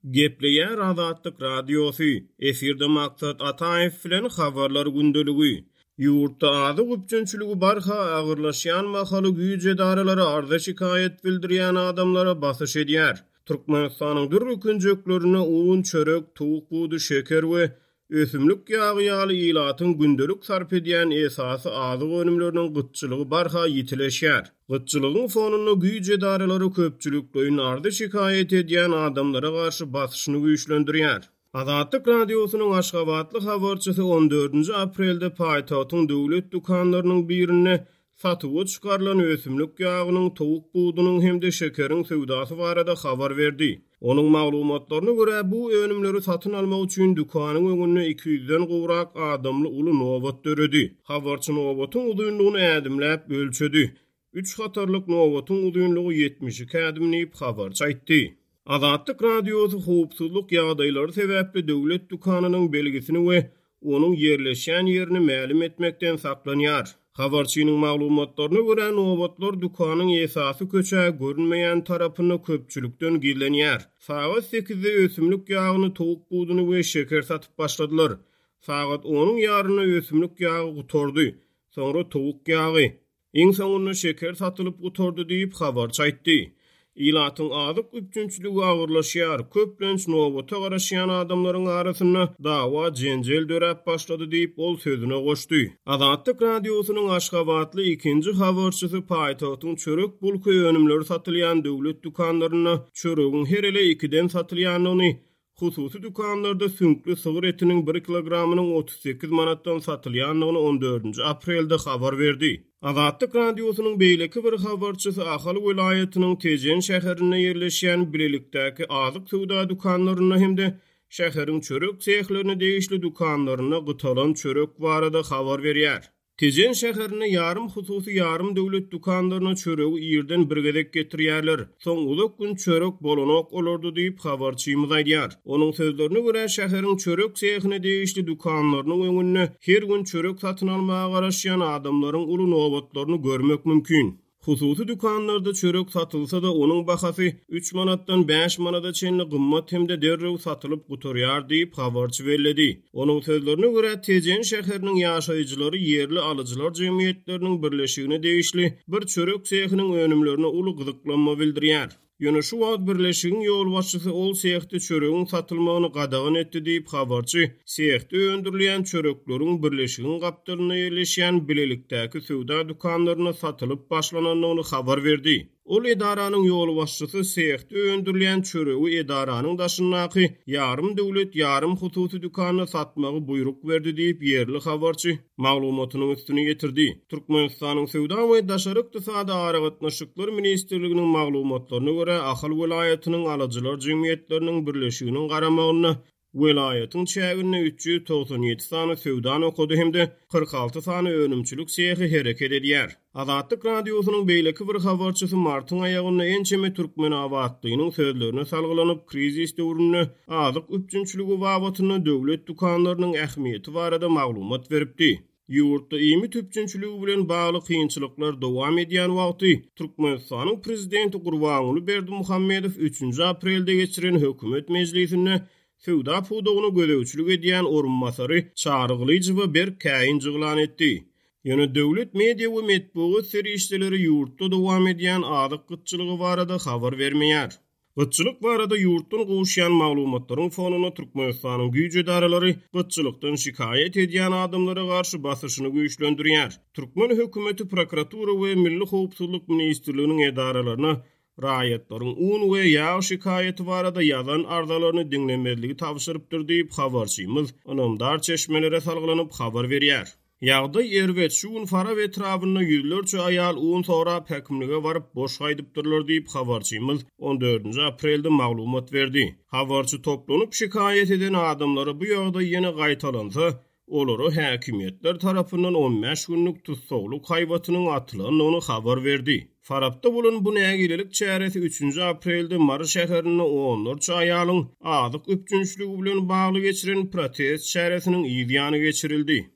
Gepleýär Azatlyk Radiosy, Efirde Maksat Ataýew bilen Habarlar gündeligi. Ýurtda azyk üpjünçiligi barha agyrlaşýan mahaly güýç edaralary arza-şikaýat bildirýän adamlara basyş edýär. Türkmenistanyň dürli künjeklerinde un, çörek, towuk budy, şeker we Ösümlik ýagy ýaly ilatyň gündelik sarp edýän esasy azyk önümleriniň gytçylygy barha ýitileşýär. Gytçylygyň fonunda güýç edaralary köpçülikleýin arzy-şikaýat edýän adamlara garşy basyşyny güýçlendirýär. Azatlyk Radiosynyň aşgabatly habarçysy on dördünji aprelde paýtagtyň döwlet dükanlarynyň birinde Satuwa çykarylan ösümlik ýagynyň, towuk budunyň hem-de şekeriň söwdasy barada habar berdi. Onuň maglumatlaryna görä, bu önümleri satyn almak üçin dükanyň öňünde 200-den gowrak adamly uly nobat döredi. Habarçy nobatyň uzynlygyny ädimläp ölçedi. Üç hatarlyk nobatyň uzynlygy 72 ädim diýip, habarçy aýtdy. Azatlyk Radiosy howpsuzlyk ýagdaýlary sebäpli döwlet dükanynyň belgisini we onuň ýerleşýän ýerini mälim etmekden saklanýar. Habarçynyň maglumatlaryna görä, nobatlar dükanyň esasy köçä görünmeýän tarapynda köpçülikden gizlenýär. Sagat sekizde ösümlik ýagyny, towuk buduny we şeker satyp başladylar. Sagat onuň ýarynda ösümlik ýagy gutardy. Soňra towuk ýagy. Iň soňunda şeker satylyp gutardy diýip, habarçy aýtdy. Ilatyň azyk üpjünçiligi agyrlaşýar, köplenç nobata garaşýan adamlaryň arasynda dawa-jenjel döräp başlady diýip, ol sözüne goşdy. Azatlyk Radiosynyň aşgabatly ikinji habarçysy paýtagtyň çörek-bulka önümleri satylýan döwlet dükanlarynda çöregiň her ele ikiden satylýandygyny, Hususy dükanlarda süňkli sygyr etiniň bir kilogramynyň 38 manatdan satylýandygyny on dördünji aprelde habar berdi. Azatlyk Radiosynyň beýleki bir habarçysy Ahal welaýatynyň Tejen şäherinde ýerleşýän bilelikdäki azyk söwda dükanlarynda hem-de şäheriň çörek sehlerine degişli dükanlarynda gytalan çörek barada habar berýär. Tejen şäherinde ýarym hususy, ýarym döwlet dükanlaryna çöregi irden bir gezek getirýärler. Soň uzak gün çörek bolanok olarda diýip, habarçymyz aýdýar. Onuň sözlerine görä, şäheriň çörek sehine degişli dükanlarynyň öňünde her gün çörek satyn almaga garaşýan adamlaryň uly nobatlaryny görmek mümkin. Hususy dükanlarda çörek satylsa-da, onuň bahasy üç manatdan bäş manada çenli gymmat hem-de derrew satylyp gutarýar diýip, habarçy belledi. Onuň sözlerine görä, Tejen şäheriniň ýaşaýjylary ýerli alyjylar jemgyýetleriniň birleşigine degişli bir çörek sehiniň önümlerine uly gyzyklanma bildirýär. Ýöne şu wagt birleşigiň ýolbaşçysy ol sehde çöregiň satylmagyny gadagan etdi diýip, habarçy sehde öndürilýän çörekleriň birleşigiň gapdalynda ýerleşýän bilelikdäki söwda dükanlarynda satylyp başlanandygyny habar berdi. Ol edaranyň ýolbaşçysy sehde öndürilýän çöregi edaranyň daşyndaky ýarym döwlet, ýarym hususy dükanda satmagy buýruk berdi diýip, ýerli habarçy maglumatynyň üstüni ýetirdi. Türkmenistanyň Söwda we daşary ykdysady aragatnaşyklar ministrliginiň maglumatlaryna görä, Ahal welaýatynyň alyjylar jemgyýetleriniň birleşiginiň garamagynda welaýatyň çäginde 397 sany söwda nokady hem-de 46 sany önümçilik sehi hereket edýär. Azatlyk Radiosynyň beýleki bir habarçysy martyň aýagynda ençeme türkmenabatlynyň sözlerine salgylanyp, krizis döwründe azyk üpjünçiligi babatynda döwlet dükanlarynyň ähmiýeti barada maglumat beripdi. Ýurtda iýmit üpjünçiligi bilen bagly kynçylyklar dowam edýän wagty, Türkmenistanyň prezidenti Gurbanguly Berdimuhamedow üçünji aprelde geçiren hökümet mejlisinde söwda pudagyna gözegçilik edýän orunbasary Çary Gylyjowa berk käýinç yglan etdi. Ýöne döwlet media we metbugat serişdeleri ýurtda dowam edýän azyk gytçylygy barada habar bermeýär. Gytçylyk barada ýurtdan gowuşýan maglumatlaryň fonunda Türkmenistanyň güýç edaralary gytçylykdan şikaýat edýän adamlara garşy basyşyny güýçlendirýär. Türkmen hökümeti prokuratura we Milli howpsuzlyk ministrliginiň edaralaryna raýatlaryň un we ýag şikaýaty barada ýazan arzalaryny diňlemezligi tabşyrypdyr diýip, habarçymyz ynamdar çeşmelere salgylanyp habar berýär. Ýagdaý erbet, şu gün Farap etrabynda ýüzlerçe aýal un sorap häkimlige baryp, boş gaýdypdyrlar diýip, habarçymyz on dördünji aprelde maglumat berdi. Habarçy toplanyp şikaýat eden adamlara bu ýagdaý ýene gaýtalansa, Olara häkimiýetler tarapyndan on bäş günlük tussaglyk haýbatynyň atylandygyny habar berdi. Farapda bolan bu nägilelik çäresi üçünji aprelde Mary şäherinde onlarça aýalyň azyk üpjünçiligi bilen bagly geçiren protest çäresiniň yz ýany geçirildi.